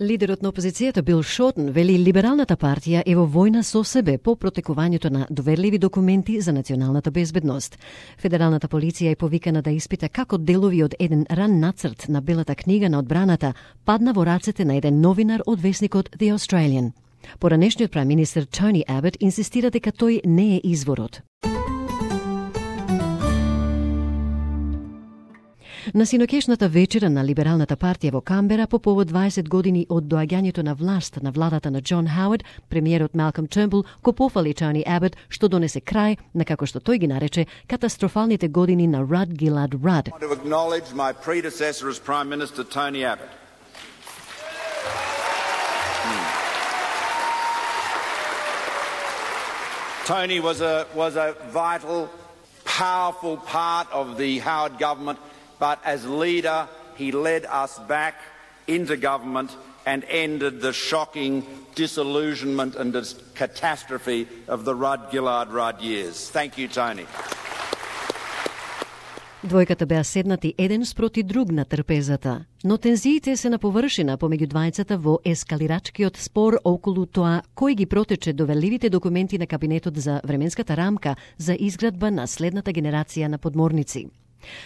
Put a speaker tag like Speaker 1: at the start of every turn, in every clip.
Speaker 1: Лидерот на опозицијата Бил Шортен вели либералната партија е во војна со себе по протекувањето на доверливи документи за националната безбедност. Федералната полиција е повикана да испита како делови од еден ран нацрт на Белата книга на одбраната падна во рацете на еден новинар од весникот The Australian. Поранешниот премиер Тони Абот инсистира дека тој не е изворот. На синокешната вечера на либералната партија во Камбера по повод 20 години од доаѓањето на власт на владата на Џон Хауард, премиерот Малком Тернбул го пофали Тони Абот што донесе крај на, како што тој ги нарече, катастрофалните години на Rudd Gillard Rudd.
Speaker 2: I want to acknowledge my predecessor as Prime Minister, Tony Abbott. Tony was a vital, powerful part of the Howard government. But as leader, he led us back into government and ended the shocking disillusionment and catastrophe of the Rudd Gillard Rudd years. Thank you, Tony.
Speaker 1: Двојката беа седнати еден спроти друг на трпезата, но тензиите се на површина помеѓу двајцата во ескалирачкиот спор околу тоа кој ги протече доверливите документи на кабинетот за временската рамка за изградба на следната генерација на подморници.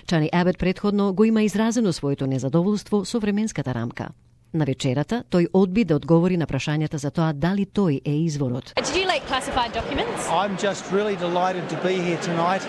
Speaker 1: Тони Абот претходно го има изразено своето незадоволство со временската рамка. На вечерата тој одби да одговори на прашањата за тоа дали тој е изворот.
Speaker 3: Did you leak classified documents?
Speaker 4: I'm just really delighted to be here tonight.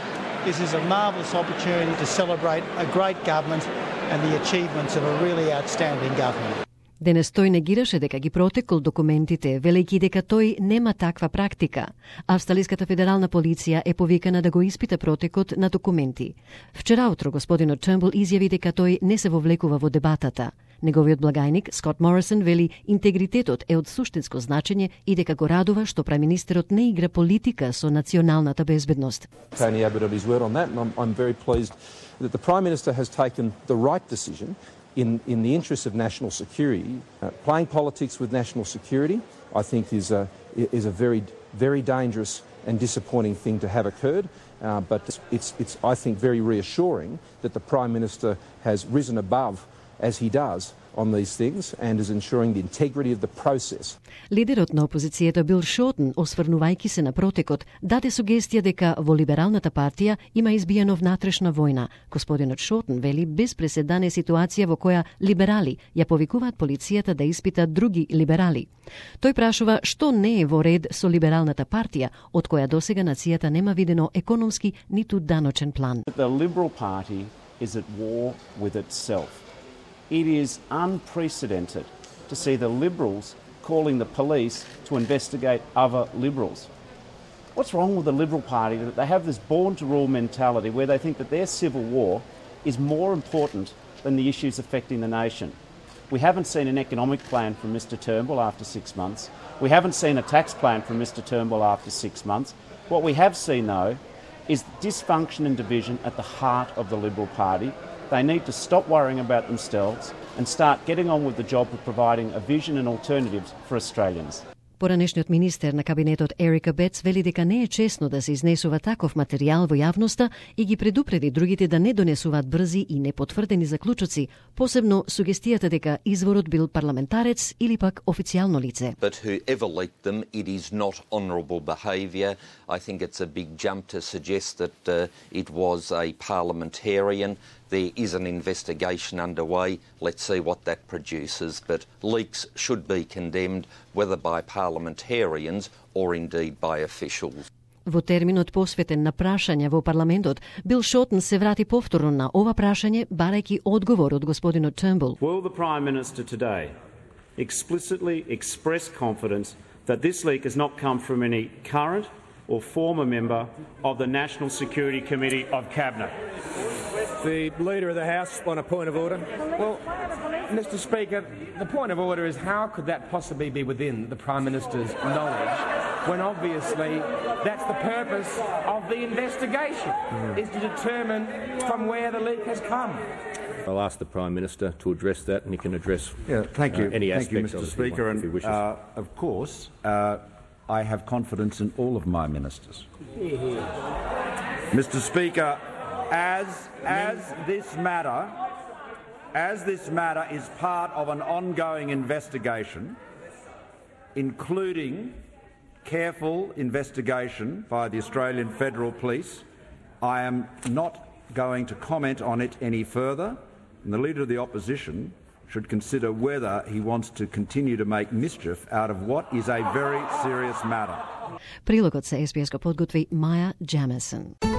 Speaker 4: This is a marvellous opportunity to celebrate a great government and the achievements of a really outstanding government.
Speaker 1: Денес тој негираше дека ги протекол документите, велејќи дека тој нема таква практика. Австралиската федерална полиција е повикана да го испита протекот на документи. Вчера утро господинот Тернбул изјави дека тој не се вовлекува во дебатата. Неговиот благајник Скот Морисон вели интегритетот е од суштинско значење и дека го радува што премиерот не игра политика со националната безбедност.
Speaker 5: Tony Abbott on his word on that, and I'm very pleased that the Prime Minister has taken the right decision in the interest of national security. Playing politics with national security, I think, is a very dangerous and disappointing thing to have occurred. But it's I think very reassuring that the Prime Minister has risen above, as he does, on these things and is ensuring the integrity of the process.
Speaker 1: Лидерот на опозицијата Бил Шортен, осврнувајќи се на протекот, даде сугестија дека во либералната партија има избиено внатрешна војна. Господинот Шортен вели без преседан е ситуација во која либерали ја повикуваат полицијата да испита други либерали. Тој прашува што не е во ред со либералната партија, од која досега нацијата нема видено економски ниту даночен план.
Speaker 6: The Liberal Party is at war with itself. It is unprecedented to see the Liberals calling the police to investigate other Liberals. What's wrong with the Liberal Party? That they have this born-to-rule mentality where they think that their civil war is more important than the issues affecting the nation. We haven't seen an economic plan from Mr Turnbull after 6 months. We haven't seen a tax plan from Mr Turnbull after 6 months. What we have seen, though, is dysfunction and division at the heart of the Liberal Party. They need to stop worrying about themselves and start getting on with the job of providing a vision and alternatives for Australians.
Speaker 1: Поранешниот министер на кабинетот Ерика Бетс вели дека не е чесно да се изнесува таков материјал во јавноста и ги предупреди другите да не донесуваат брзи и непотврдени заклучоци, посебно сугестијата дека изворот бил парламентарец или пак официјално лице.
Speaker 7: But whoever leaked them, it is not honourable behaviour. I think it's a big jump to suggest that it was a parliamentarian. There is an investigation underway. Let's see what that produces. But leaks should be condemned, whether by parliamentarians or indeed by officials.
Speaker 1: Во терминот посветен на прашања во парламентот, Бил Шортен се врати повторно на ова прашање, барајќи одговор од господинот Тернбул.
Speaker 6: Will the Prime Minister today explicitly express confidence that this leak has not come from any current or former member of the National Security Committee of Cabinet?
Speaker 8: The Leader of the House on a point of order. Well, Mr Speaker, the point of order is how could that possibly be within the Prime Minister's knowledge when obviously that's the purpose of the investigation, is to determine from where the leak has come.
Speaker 9: I'll ask the Prime Minister to address that, and he can address
Speaker 10: thank you.
Speaker 9: Any
Speaker 10: thank you,
Speaker 9: aspect
Speaker 10: Mr
Speaker 9: of
Speaker 10: Speaker.
Speaker 9: it if he wishes.
Speaker 10: And of course, I have confidence in all of my ministers. Mr Speaker, as this matter As this matter is part of an ongoing investigation, including careful investigation by the Australian Federal Police, I am not going to comment on it any further, and the Leader of the Opposition should consider whether he wants to continue to make mischief out of what is a very serious matter.
Speaker 1: Прилогот се SBS го подготви Маја Джемесен.